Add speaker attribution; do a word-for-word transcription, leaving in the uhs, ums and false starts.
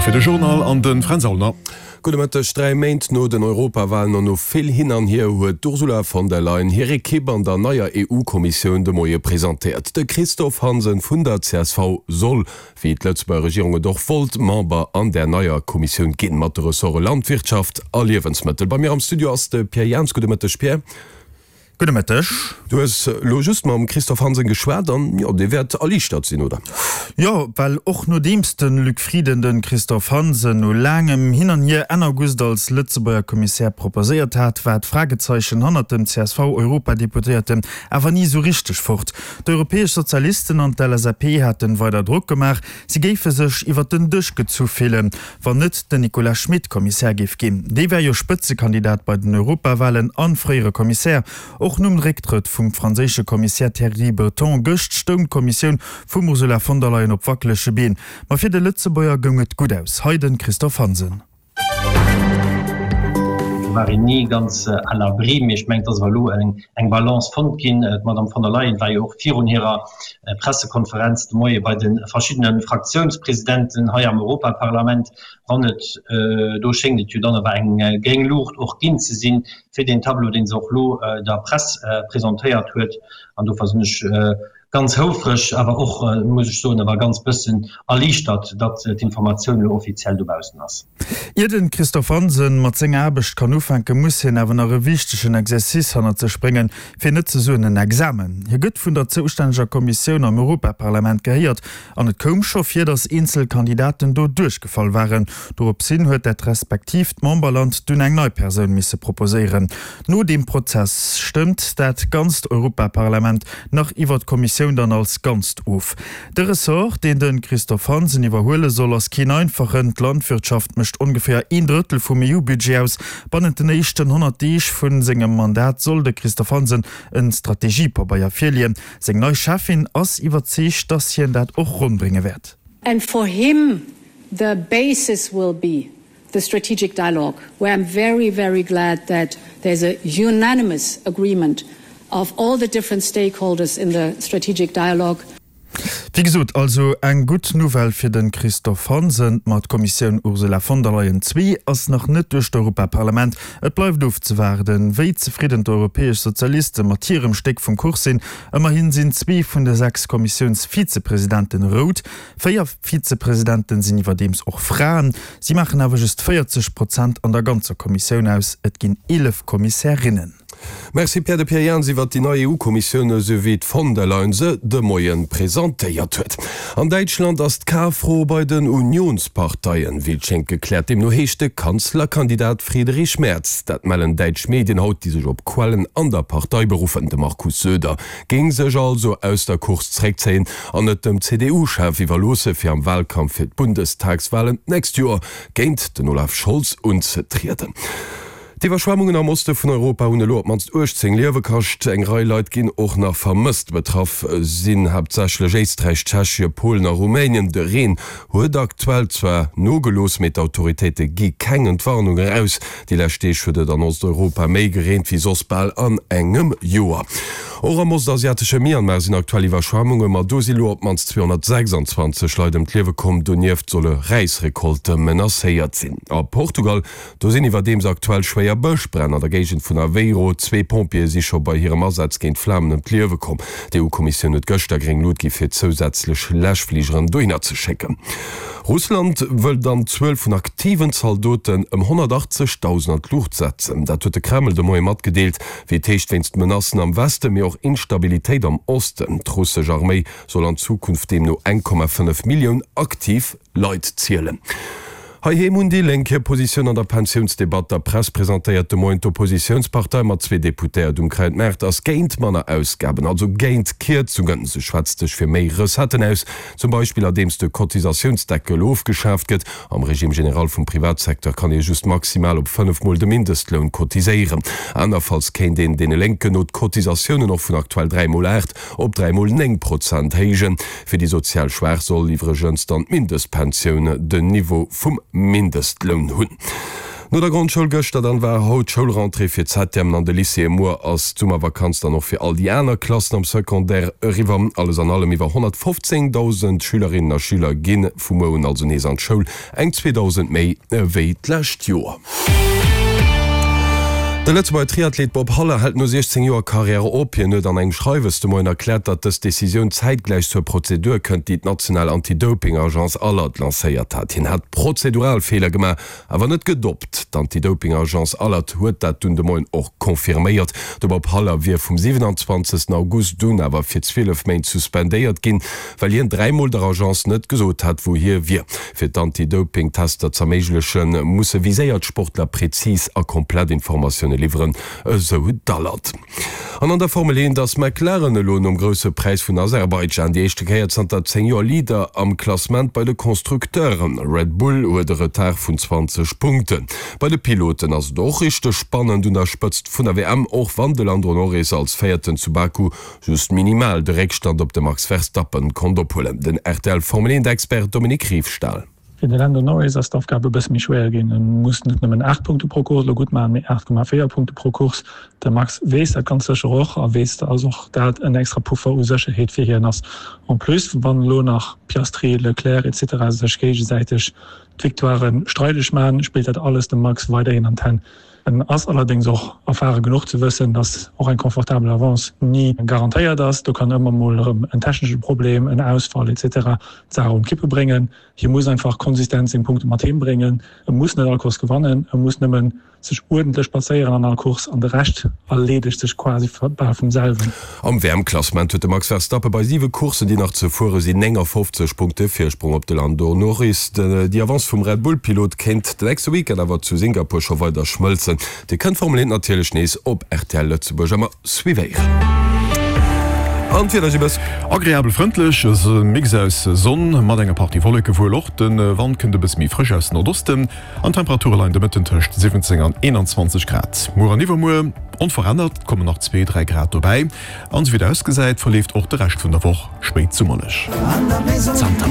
Speaker 1: fir de Journal an de Fränz Aulner.
Speaker 2: Gudde Mëtteg. Dräi Méint no den Europawalen an no vill Hin an Hier huet d'Ursula von der Leyen hir Ekipp an der neier E U-Kommissioun de Moie presentéiert. De Christophe Hansen vun der C S V soll, wéi d'Lëtzebuerger Regierung et och wollt, Member an där neier Kommissioun ginn, mat de Ressorte Landwirtschaft a Liewensmëttel. Bei mir am Studio ass de Pierre Jans. Gudde Mëtteg, Pierre.
Speaker 3: Gudde Mëtteg.
Speaker 2: Du hues lo just mam Christophe Hansen geschwat an, jo, dee wäert erliichtert sinn, oder?
Speaker 3: Jo, well och nodeems de Luc Frieden de Christophe Hansen no laangem Hin an Hier Enn August als Lëtzebuerger Kommissär proposéiert hat, war d'Fragezeichen hannert dem C S V-Europadeputéierten awer ni esou richteg fort. D'Europäesch Sozialisten an d'L S A P haten weider Drock gemaach, si géife sech iwwer den Dësch gezu fillen, wann net den Nicolas Schmit Kommissär géif ginn. Dee war jo Spëtzekandidat bei den Europawalen an fréiere Kommissär. Och nom Récktrëtt vum franséische Kommissär Thierry Breton gëscht stoung d'Kommissioun vum Ursula von der Leyen op wackelege Been. Ma fir de Lëtzebuerger goung et gutt aus. Hei de Christophe Hansen.
Speaker 4: Do war een ni ganz à l'abri, mee ech mengen, et ass awer elo eng Balance fonnt ginn. D'Madame von der Leyen war jo och virun hirer Pressekonferenz de Moie bei de verschiddene Fraktiounspresidenten hei am Europaparlament. Wann et do schéngt et jo dann awer eng gréng Luucht och ginn ze sinn fir deen Tableau, deen se och elo der Press presentéiert huet. An dofir sinn ech ganz houfreg, awer och, muss ech soen, awer ganz bëssen erliichtert, datt d'Informatioun elo offiziell dobaussen ass.
Speaker 3: Ier de Christophe Hansen mat senger Aarbecht kann ufänken, muss hien awer nach e wichtegen Exercice hannert sech bréngen, fir net ze soen en Examen. Hie gëtt vun der zoustännege Kommissioun am Europaparlament gehéiert an et koum scho vir, datt eenzel Kandidaten do duerchgefall waren. Doropshin huet dat respektiivt Memberland dunn eng nei Persoun misse proposéieren. No deem Prozess stëmmt dat ganzt Europaparlament nach iwwer d'Kommissioun dann als Ganzt of. De Ressort, deen de Christophe Hansen iwwerhuele soll, ass keen einfachen. D'Landwirtschaft mécht ongeféier een Drëttel vum E U-Budget aus. Bannent den éischten honnert Deeg vu sengem Mandat soll de Christophe Hansen e Strategiepabeier virleeën. Seng nei Cheffin ass iwwerzeegt, datt hien dat och ronn brénge wäert.
Speaker 5: And for him the basis will be the strategic dialogue, where I'm very, very glad that there's a unanimous agreement of all the different stakeholders in the strategic dialogue.
Speaker 3: Wéi gesot, also eng gutt Nouvelle fir de Christophe Hansen. Ma d'Kommissioun Ursula von der Leyen zwee ass nach net duerch d'Europaparlament. Et bleift ofzewaarden, wéi zefridden d'Europäesch Sozialiste mat hirem Stéck vum Kuch sinn. Ëmmerhi sinn zwee vun de sechs Kommissiounsvizepresidenten rout. Véier Vizepresidenten sinn iwwerdeems och Fraen. Si maachen awer just véierzeg Prozent an der ganzer Kommissioun aus. Et ginn eelef Kommissärinnen.
Speaker 2: Merci Pierre. De Pierre Jans iwwer déi nei E U-Kommissioun, esou wéi d'von der Leyen se de Moien presentéiert huet. An Däitschland ass d'K-Fro bei den Unionsparteien, wéi et schéngt, gekläert. Deemno heescht de Kanzlerkandidat Friedrich Merz. Dat mellen däitsch Medien haut, déi sech op Quellen an der Partei beruffen. De Markus Söder géing sech also aus der Course zréckzéien an et dem C D U-Chef iwwerloosse fir am Walkampf fir d'Bundestagswalen d'nächst Joer géint den Olaf Scholz unzetrieden. D'Iwwerschwemmungen am Oste vun Europa hunn elo op d'mannst uechtzéng Liewe kascht. Eng Rei Leit ginn och nach vermësst. Betraff sinn haaptsächlech Éisträich, Tschechien, Polen a Rumänien. De Reen huet aktuell zwar nogelooss, mee d'Autoritéite gi keng Entwarnung eraus. Déi lescht Deeg huet et an Osteuropa méi gereent wéi soss bal an engem Joer. Och am ostasiatesche Myanmar sinn aktuell Iwwerschwemmunge, ma do si lo op d'mannst zweehonnertsechsanzwanzeg Leit ëm d'Liewe komm. Donieft solle Räisrekolte menacéiert sinn. A Portugal, do sinn iwwerdeems aktuell schwéier Bëschbränn an der Géigend vun Aveiro. Zwee Pompjeeë si scho bei hirem Asaz géint d'Flamen ëm d'Liewe komm. D'E U-Kommissioun huet gëschter gréng Luucht gi fir zousätzlech Läschfligeren dohinner ze schécken. Russland wëll dann d'Zuel vun aktiven Zaldoten ëm honnertachtzegdausend an d'Luucht setzen. Dat huet de Kreml de Moie matgedeelt, wéi et heescht wéinst Menacen am Westen, mee och Instabilitéit am Osten. D'russesch Arméi soll an Zukunft deemno eng Komma fënnef Millioun aktiv Leit zielen. Heiheem hunn déi Lénk hir Positioun an der Pensiounsdebatt der Press presentéiert. De Moien d'Oppositiounspartei mat zwee Deputéiert um Krautmaart ass géint manner Ausgaben, also géint Kierzungen. Se schwätzt sech fir méi Recetten aus, zum Beispill andeems de Cotisatiounsdeckel ofgeschaaft gëtt. Am Régime général vum Privatsecteur kann ee just maximal op fënnef Mol de Mindestloun cotiséieren. Anerfalls kéint een deene Lénken no d'Cotisatiounen och vun aktuell dräi mol aacht op dräi mol néng Prozent héijen. Fir déi sozial Schwaach soll iwwregens dann d'Mindestpensioun den Niveau vum Mindestloun hunn. No der Grondschoul gëschter dann war haut d'Schoulrentrée fir d'Septièmen an de Lycéeë. Muer ass d'Summervakanz dann och fir all déi aner Klassen am Secondaire eriwwer. Alles an allem iwwer honnertfofzéngdausend Schülerinnen a Schüler gi vu muer un also nees an d'Schoul, eng zweedausend méi wéi d'lescht Joer. De Lëtzebuerger Triathlet Bob Haller hält no siechzéng Joer Karriär op. Hien huet an engem Schreiwes de Moien erkläert, datt dës Decisioun zäitgläich zur Prozedur kënnt, déi d'national Anti-Doping-Agence Alert lancéiert hat. Hien hätt prozedural Feeler gemaach, awer net gedoppt. D'Anti-Doping-Agence Alert huet dat dunn de Moien och confirméiert. De Bob Haller wier vum siwenanzwanzegsten August un awer fir zwielef Méint suspendéiert ginn, well hien dräi Mol der Agence net gesot hat, wou hie wier. Fir d'Anti-Doping-Tester z'erméiglechen, musse viséiert Sportler prezis a komplett Informatioune liwweren, esou d'Alert. An an der Formel eent ass McLaren elo nom Grousse Präis vun Aserbaidschan déi éischte Kéier zanter zéng Joer Leader am Klassement bei de Constructeuren. Red Bull huet e Retard vun zwanzeg Punkten. Bei de Piloten ass et och richteg spannend un der Spëtzt vun der W M, och wann de Lando Norris als Véierten zu Baku just minimal de Réckstand op de Max Verstappen konnt ophuelen. Den R T L Formel eent Expert Dominique Riefstahl.
Speaker 6: Fir de Lando Norris ass d'Aufgab e bësse méi schwéier ginn. E muss net nëmmen aacht Punkte pro Course elo gutt maachen, mee aacht Komma véier Punkte pro Course. De Max weess dat ganz sécher och a weess, dass och dat en extra Puffer u Sécherheet fir hien ass. En plus, wann elo nach Piastri, Leclerc et cetera sech géigesäiteg d'Victoiren streideg maachen, spillt dat alles dem Max weiderhin an d'Hänn. En ass allerdéngs och erfare genuch ze wëssen, dass och eng confortabel Avance ni garantéiert ass. Do kann ëmmer mol erëm en technesche Problem, en Ausfall et cetera d'Saach un d'Kippe bréngen. Hie muss einfach konsistent seng Punkte mat heem bréngen. E muss net all Course gewannen, e muss nëmmen sech uerdentlech plazéieren an all Course an de Rescht erleedegt sech quasi bal vum selwen.
Speaker 2: Am W M-Klassement huet de Max Verstappen bei siwe Courssen, déi nach ze fuere sinn, néngafofzeg Punkte Virsprong op de Lando Norris. Déi Avance vum Red Bull-Pilot kéint den nächste Weekend awer zu Singapur scho weider schmëlzen. Dir kënnt d'Formel eent natierlech nees op R T L Lëtzebuerg ëmmer suivéieren. An d'Wieder, Gilles?
Speaker 1: Agreabel frëndlech, e Mix aus Sonn mat enger Partie Wolleke wuel och. De Wand kënnt e bësse méi frësch aus Nordosten an d'Temperature leien de Mëtten tëscht siwwenzéng an eenanzwanzeg Grad. Muer an iwwermuer onverännert, et kommen nach zwee, dräi Grad dobäi an esou wéi et ausgesäit, verleeft och de Rescht vun der Woch spéitsummerlech.
Speaker 7: Zanter